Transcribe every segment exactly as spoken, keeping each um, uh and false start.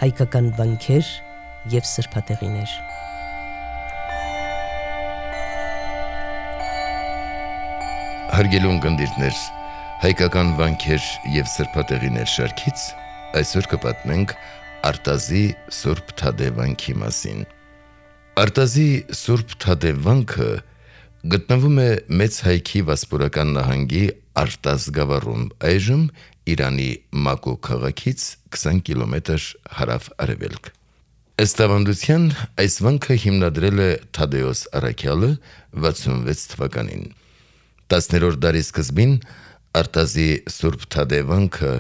հայկական վանքեր և սրբատեղիներ։ Հարգելի ունկնդիրներ, հայկական վանքեր և սրբատեղիներ շարքից այսօր կպատմենք Արտազի Սուրբ Թադէ վանքի մասին։ Արտազի Սուրբ Թադէ վանքը գտնվում է Մեծ Հայքի Վասպուրական նահանգի Արտազ գավառում, այժմ Իրանի Մակո քաղաքից քսան կիլոմետր հարավ-արևելք։ Ըստ ավանդության, այս վանքը հիմնադրել է Թադեոս առաքյալը վաթսունվեց թվականին։ տասներորդ դարի սկզբին Արտազի Սուրբ Թադէ վանքը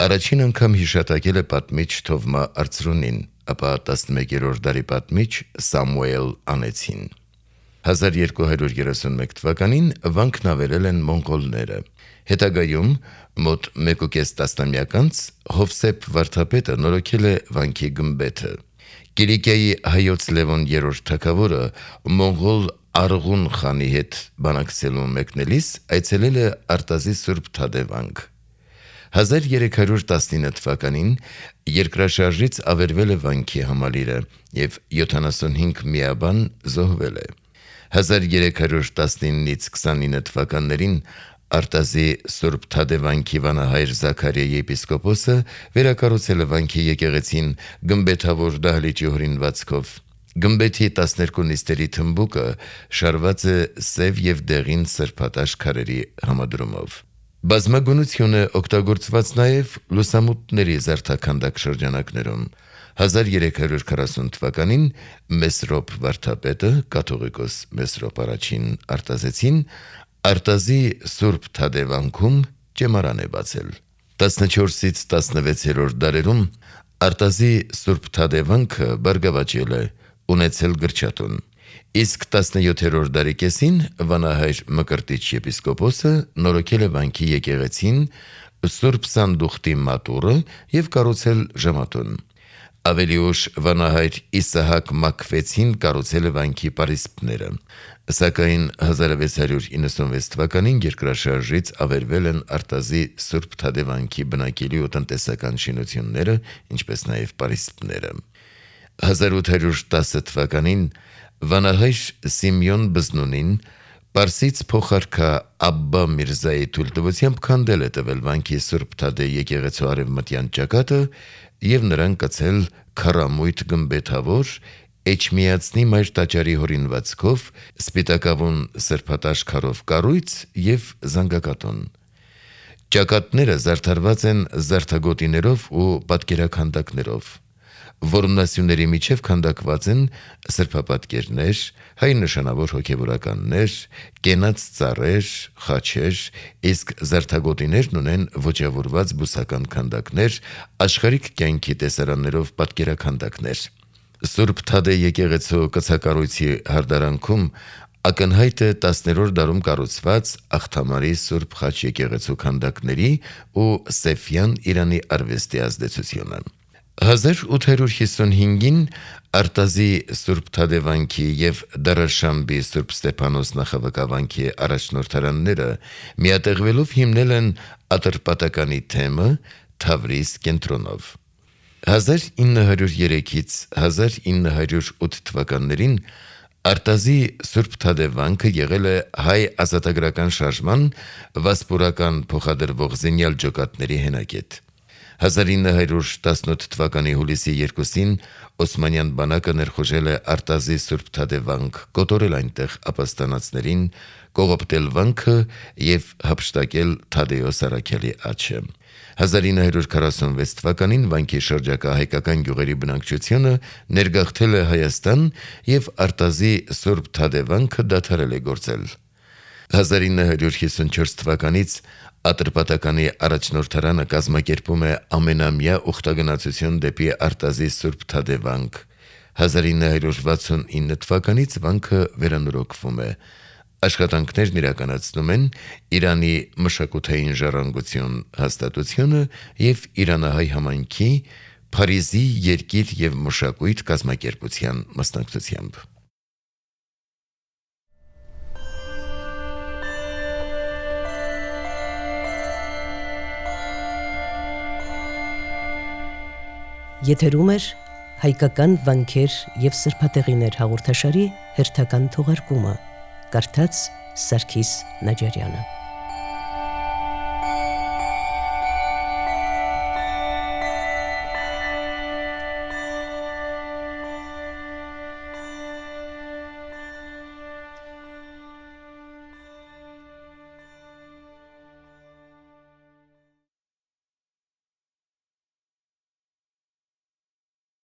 առաջին անգամ հիշատակել է պատմիչ Թովմա Արծրունին, ապա տասնմեկերորդ դարի պատմիչ Սամուել Անեցին։ հազար երկու հարյուր երեսունմեկ թվականին վանքն ավերել են մոնղոլները։ Հետագայում մոտ մեկ ու կես տասնամյակ անց Հովսեփ վարդապետը նորոգել է վանքի գմբեթը։ Կիլիկիայի հայոց Լևոն երրորդ թագավորը մոնղոլ Արղուն խանի հետ բանակցելու մեկնելիս այցելել է Արտազի Սուրբ Թադէ վանք։ հազար երեք հարյուր տասնինը թվականին երկրաշարժից ավերվել է վանքի համալիրը և յոթանասունհինգ միաբան զոհվել է։ հազար երեք հարյուր տասնինից քսանինը թվականներին Արտազի Սուրբ Թադէ վանքի վանահայր Զաքարիա եպիսկոպոսը վերակառուցել է վանքի եկեղեցին գմբեթավոր դահլիճի օրինվածքով։ Գմբեթի տասներկու նիստերի թմբուկը շարված է սև և դեղին սրբատաշ քարերի համադրումով։ Բազմագունություն է օգտագործված նաև լուսամուտների զարդաքանդակ շրջանակներում։ հազար երեք հարյուր քառասուն թվականին Մեսրոպ վարդապետը, կաթողիկոս Մեսրոպ առաջին Արտազեցին, Արտազի Սուրբ Թադէ վանքում ճեմարան է բացել։ տասնչորսից տասնվեցերորդ դարերում Արտազի Սուրբ Թադէ վանքը բարգավաճել է, ունեցել գրչատուն։ Իսկ տասնյոթերորդ դարի կեսին վանահայր Մկրտիչ եպիսկոպոսը նորոգել է վանքի եկեղեցին, Սուրբ Սանդուղտի մատուռը և կառուցել ժամատուն։ Ավելի ուշ վանահայր Իսահակ Մաքվեցին կառուցել է վանքի պարիսպները, սակայն հազար վեց հարյուր իննսունվեց թվականին երկրաշարժից ավերվել են Արտազի Սուրբ Թադէ վանքի բնակելի ու տնտեսական շինությունները, ինչպես նաև պարիսպները։ հազար ութ հարյուր տասը թվականին վանահայր Սիմեոն Բզնունին պարսից փոխարքա Աբբա Միրզայի թույլտվությամբ քանդել է տվել վանքի Սուրբ Թադէ եկեղեցու արևմտյան ճակատը և նրան կցել քառամույթ գմբեթավոր Էջմիածնի Մայր տաճարի հորինվածքով սպիտակավուն սրբատաշ քարով կառույց և զանգակատուն։ Ճակատները զարդարված են զարդագոտիներով ու պատկերաքանդակներով։ Որմնասյուների միջև քանդակված են սրբապատկերներ, հայ նշանավոր հոգևորականներ, կենաց ծառեր, խաչեր, իսկ զարդագոտիներն ունեն ոճավորված բուսական քանդակներ, աշխարհիկ կյանքի տեսարաններով պատկերաքանդակներ։ Սուրբ Թադէ եկեղեցու կցակառույցի հարդարանքում ակնհայտ է տասներորդ դարում կառուցված Աղթամարի Սուրբ Խաչ եկեղեցու քանդակների ու Սեֆյան Իրանի արվեստի ազդեցությունը։ հազար ութ հարյուր հիսունհինգին Արտազի Սուրբ Թադէ վանքի և Դարաշամբի Սուրբ Ստեփանոս նախավկավանքի առաջնորդարանները միատեղվելով հիմնել են Ատրպատականի թեմը Թավրիզ կենտրոնով։ հազար ինը հարյուր երեքից հազար ինը հարյուր ութ թվականներին Արտազի Սուրբ Թադէ վանքը եղել է հայ ազատագրական շարժման վասպուրական փոխադրվող զինյալ ջոկատների հենակետ։ հազար ինը հարյուր տասնութ թվականի հուլիսի երկուսին Օսմանյան բանակը ներխուժել է Արտազի Սուրբ Թադէ վանք, կոտորել այնտեղ ապաստանածներին, կողոպտել վանքը և հափշտակել Թադեոս առաքյալի աջը։ հազար ինը հարյուր քառասունվեց թվականին վանքի շրջակա հայկական գյուղերի բնակչությունը ներգաղթել է Հայաստան և Արտազի Սուրբ Թադէ վանքը դադարել է գործել։ հազար ինը հարյուր հիսունչորս թվականից Ատրպատականի առաջնորդարանը կազմակերպում է ամենամյա ուխտագնացություն դեպի Արտազի Սուրբ Թադէ վանք։ հազար ինը հարյուր վաթսունինը թվականից վանքը վերանորոգվում է։ Աշխատանքներն իրականացնում են Իրանի մշակութային ժառանգություն հաստատությունը և Իրանահայ համայնքի Փարիզի երկիր և մշակույթ կազմակերպության մասնակցությամբ։ Եթերում էր հայկական վանքեր և սրբատեղիներ հաղորդաշարի հերթական թողարկումը, կարդաց Սարգիս Նաջարյանը։